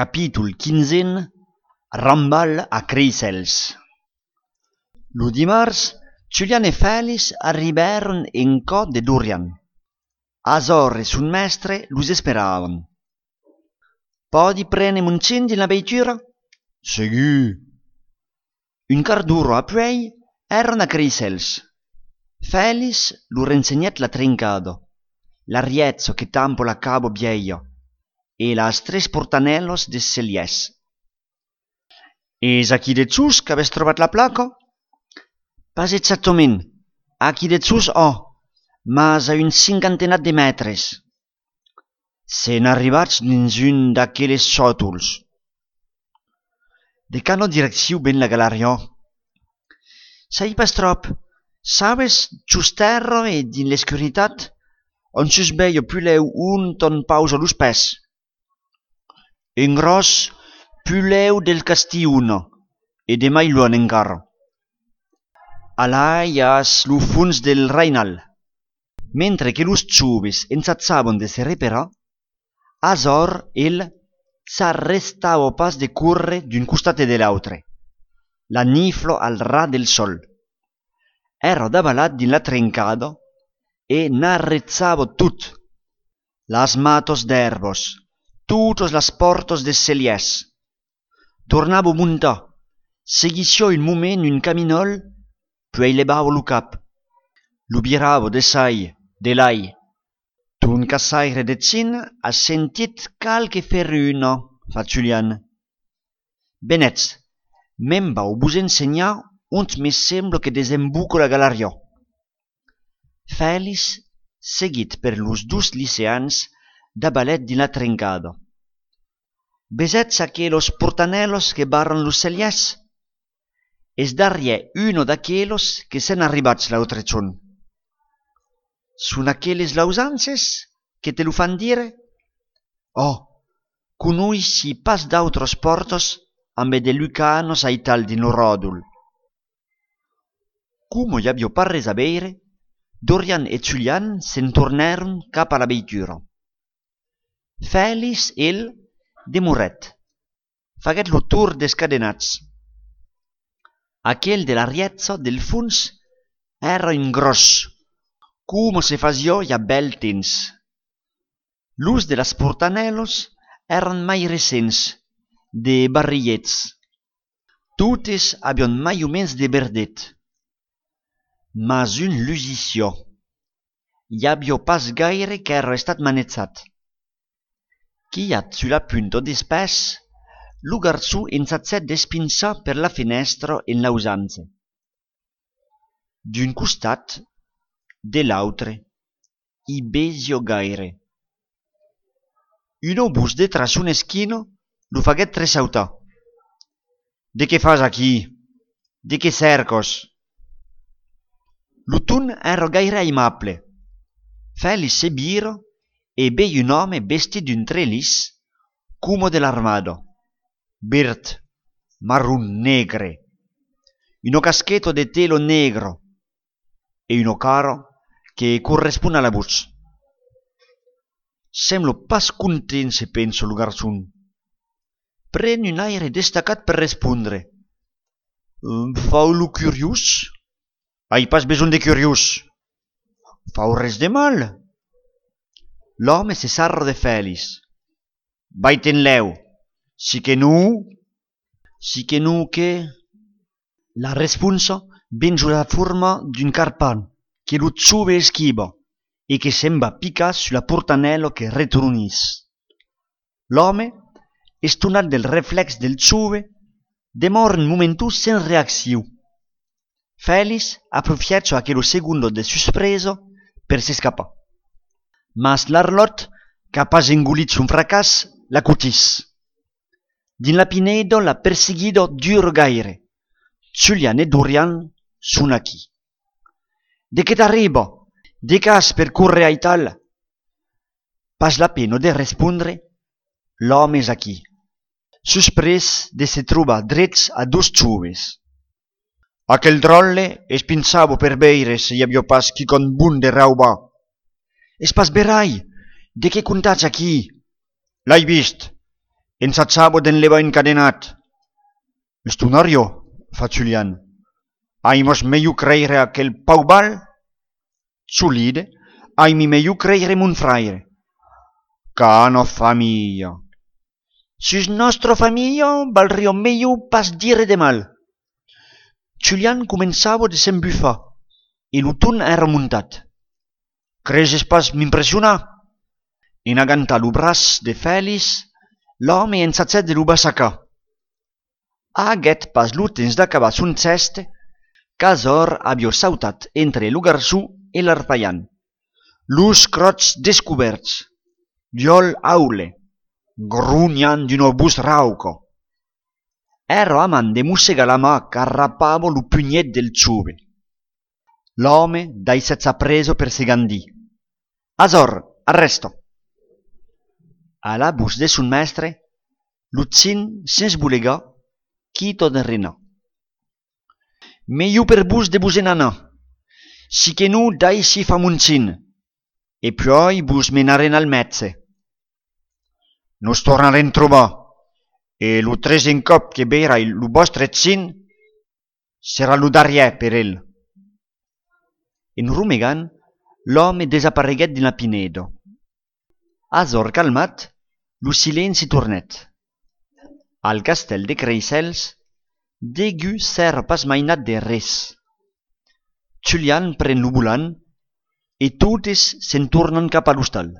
Capítol 15. Rambal a Creixels. Lo dimarts, Julian e Félix arribèron en cò de Dorian. Azor e son mestre los esperavan. «Podi prene muncin din la veitura?» «Segù!» Un quart d'ora apuei eran a Creixels. Félix lo rensegnèt la trincado, l'arietzo che tampo la cabo vieio e las tres portanellos des celiès. «Es aquí de sus qu'avès trobat la placa?» «Pas exactament, aquí de sus mas a un cinquantenat de mètres. S'en arribats dins un d'aqueles sòtols. De cano direcciu ben la galeria?» «Sai pas trop. Sabes, just terra e din l'escuritat, on sus veio puleu un ton pausa los pès. Un gros puleu del castiuno, e de mai luon encara. Alà hi has lo funs del Rainal.» Mentre que los ciuves ensazzavan de se reparar, Azor s'arrestava pas de curre d'un costat e de l'autre, la niflo al ra del sol. Era davalat din la trencada e n'arrezzava tut, las matos d'erbos, tutos las portos des celiès. Tornava a muntar, seguissió un moment un caminol, puei levava lo cap. Lo birava de sai, de lai. «Ton cassaire de cin has sentit calque ferruna», fa Julian. «Benètz, me'n vau vos ensenhar ont me sembla que desemboca la galeria.» Félix seguit per los dus liceans dabalet din la trencada. «Besetz aquelos portanellos que barran los celiès? Es darriè uno d'aquelos que s'en arribats l'autre chon. Son aqueles lausances que te lo fan dire? Conoissi pas d'autres portos ambe de lucanos ai tal din lo ròdol.» Como i aviò pas res a veire, Dorian e Julian se'n tornèron cap a la veitura. Félix, demorèt, faguèt lo tour des cadenats. Aquel de l'arietzo del funs era un gros, como se fasiò ja bel temps. Los de las portanellos eran mai recents, de barrilhets. Totes avion mai o mens de verdet. Mas un lusició. Hi aviò pas gaire qu'era estat manetzat. Quiat sulla punta des pès, lo garçó ensatzèt d'espinçar per la finestra en l'ausanze. D'un costat, de l'autre, i besio gaire. Un obús de tras una esquina lo faguèt tressautar. «De què fas aquí? De què cercos?» Lo ton era gaire aimable. Félix se vira e vei un home vestit d'un trelis, como de l'armada, verd, marrón negre, uno caschetto de telo negro e uno cara que correspon a la voz. Sembla pas content, se pensa lo garçon. Pren un aire destacat per respondre. «Fau lo curiós?» «Ai pas besoin de curiós. Fau res de mal.» L'home se sarra de Félix. «Vai-te'n lèu. Si que non...» «Si que non que...» La responsa ven sur la forma d'un carpan que lo ciuve esquiva e que sembra picar sulla portanello que retronís. L'home, estonat del reflex del ciuve, demora un momentu sen reacció. Félix aprofiètza aquello segundo de suspresa per s'escapar. Mas l'arlot, qu'a pas engolit son fracàs, l'acutís. Din la pineda la perseguida dura gaire. Julian e Dorian son aquí. «De què t'arriba? De cas per curre ai tal?» Pas la pena de respondre, l'home és aquí, suspres de se trobar drets a dos ciuves. «Aquel drolle es pinçava per veire se hi aviò pas quicon bun de raubar.» «Es pas verai? De què contatz aquí?» «L'hai vist. Ensatçavo d'enlevar encadenat. Estonario, fa Julian. Ai mos meiu creire aquel paubal? Solide, ai mi meiu creire mon fraire. Cano famiglia. Sus nostro famiglia valrio meiu pas dire de mal. Julian començava de s'embufar e lo ton era muntat. Creses pas m'impressionar? En agantar lo braç de Félix, l'home ensatzèt de lo bassacar. Aguet pas lo temps d'acabar son ceste, qu'Azor avió sautat entre lo garçó e l'arpaian. Los crots descoberts, viol aule, grunyan d'un obús rauco. Ero amant de mossegar la mà qu'arrapava lo pugnet del ciove. L'home dai s'ezza preso per segandì. Azor, arresto! A la bus de son mestre, Lutzin s'esbulegà, quito de rena. Meiu per vos de vos en anar, si que non dai si fa muncin, e poi vos menaren al metze. Nos tornaren trobar, e lo tresen cop que verai lo vostre zin, serà lo darriè per el. En rumegant, l'home desapareguèt dina pinedo. Azor calmat, lo silenci tornet. Al castèl de Creisels, degu s'ère pas mainat de res. Julian pren lo volant e totes se'n tornen cap a l'hostal.